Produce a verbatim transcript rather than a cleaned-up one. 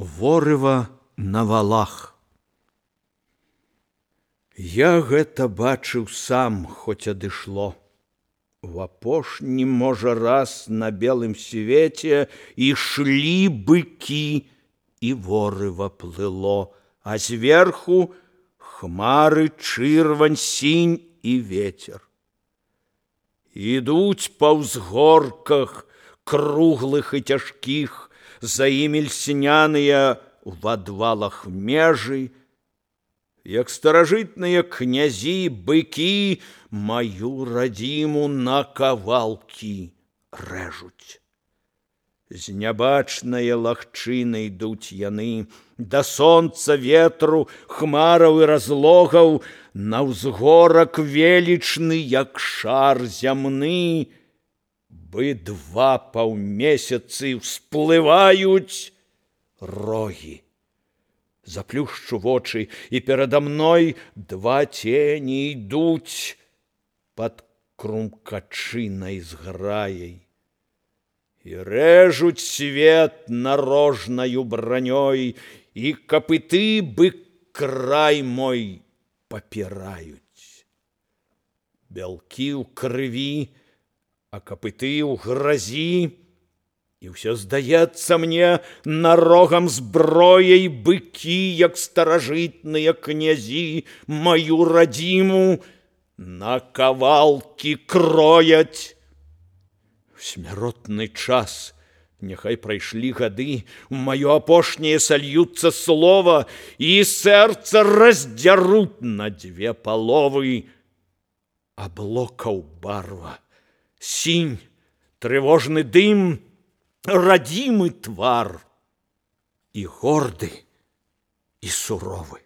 Ворыва на валах. Я гэта бачыў сам, хоць адышло. В апошні, можа, раз на белым свеце ішлі быкі, і ворыва плыло, а зверху хмары, чырвань, сінь і ветер. Ідуць па ўзгорках, круглых і цяжкіх, за імі льсняныя в адвалах межы, як старажытныя князі, быкі маю радзіму на кавалкі рэжуць. З нябачнае лагчыны ідуць яны, да сонца, ветру, хмараў і разлогаў, на ўзгорак велічны, як шар зямны, бы два паўмесяцы ўсплываюць рогі. Заплюшчу вочы, і перада мной два цені ідуць пад крумкачынай зграяй. І рэжуць свет нарожнаю бранёй, і капыты бы край мой папіраюць. Бялкі ў крыві, а капыты ў гразі, і ўсё здаецца мне нарогам зброяй быкі, як старажытныя князі, маю радзіму на кавалкі крояць. В смяротны час, няхай прайшлі гады, у маё апошняе сольюцца слова, і сэрца раздзяруць на дзве паловы. Аблокаў барва, сінь, трывожны дым, радзімы твар і горды, і суровы.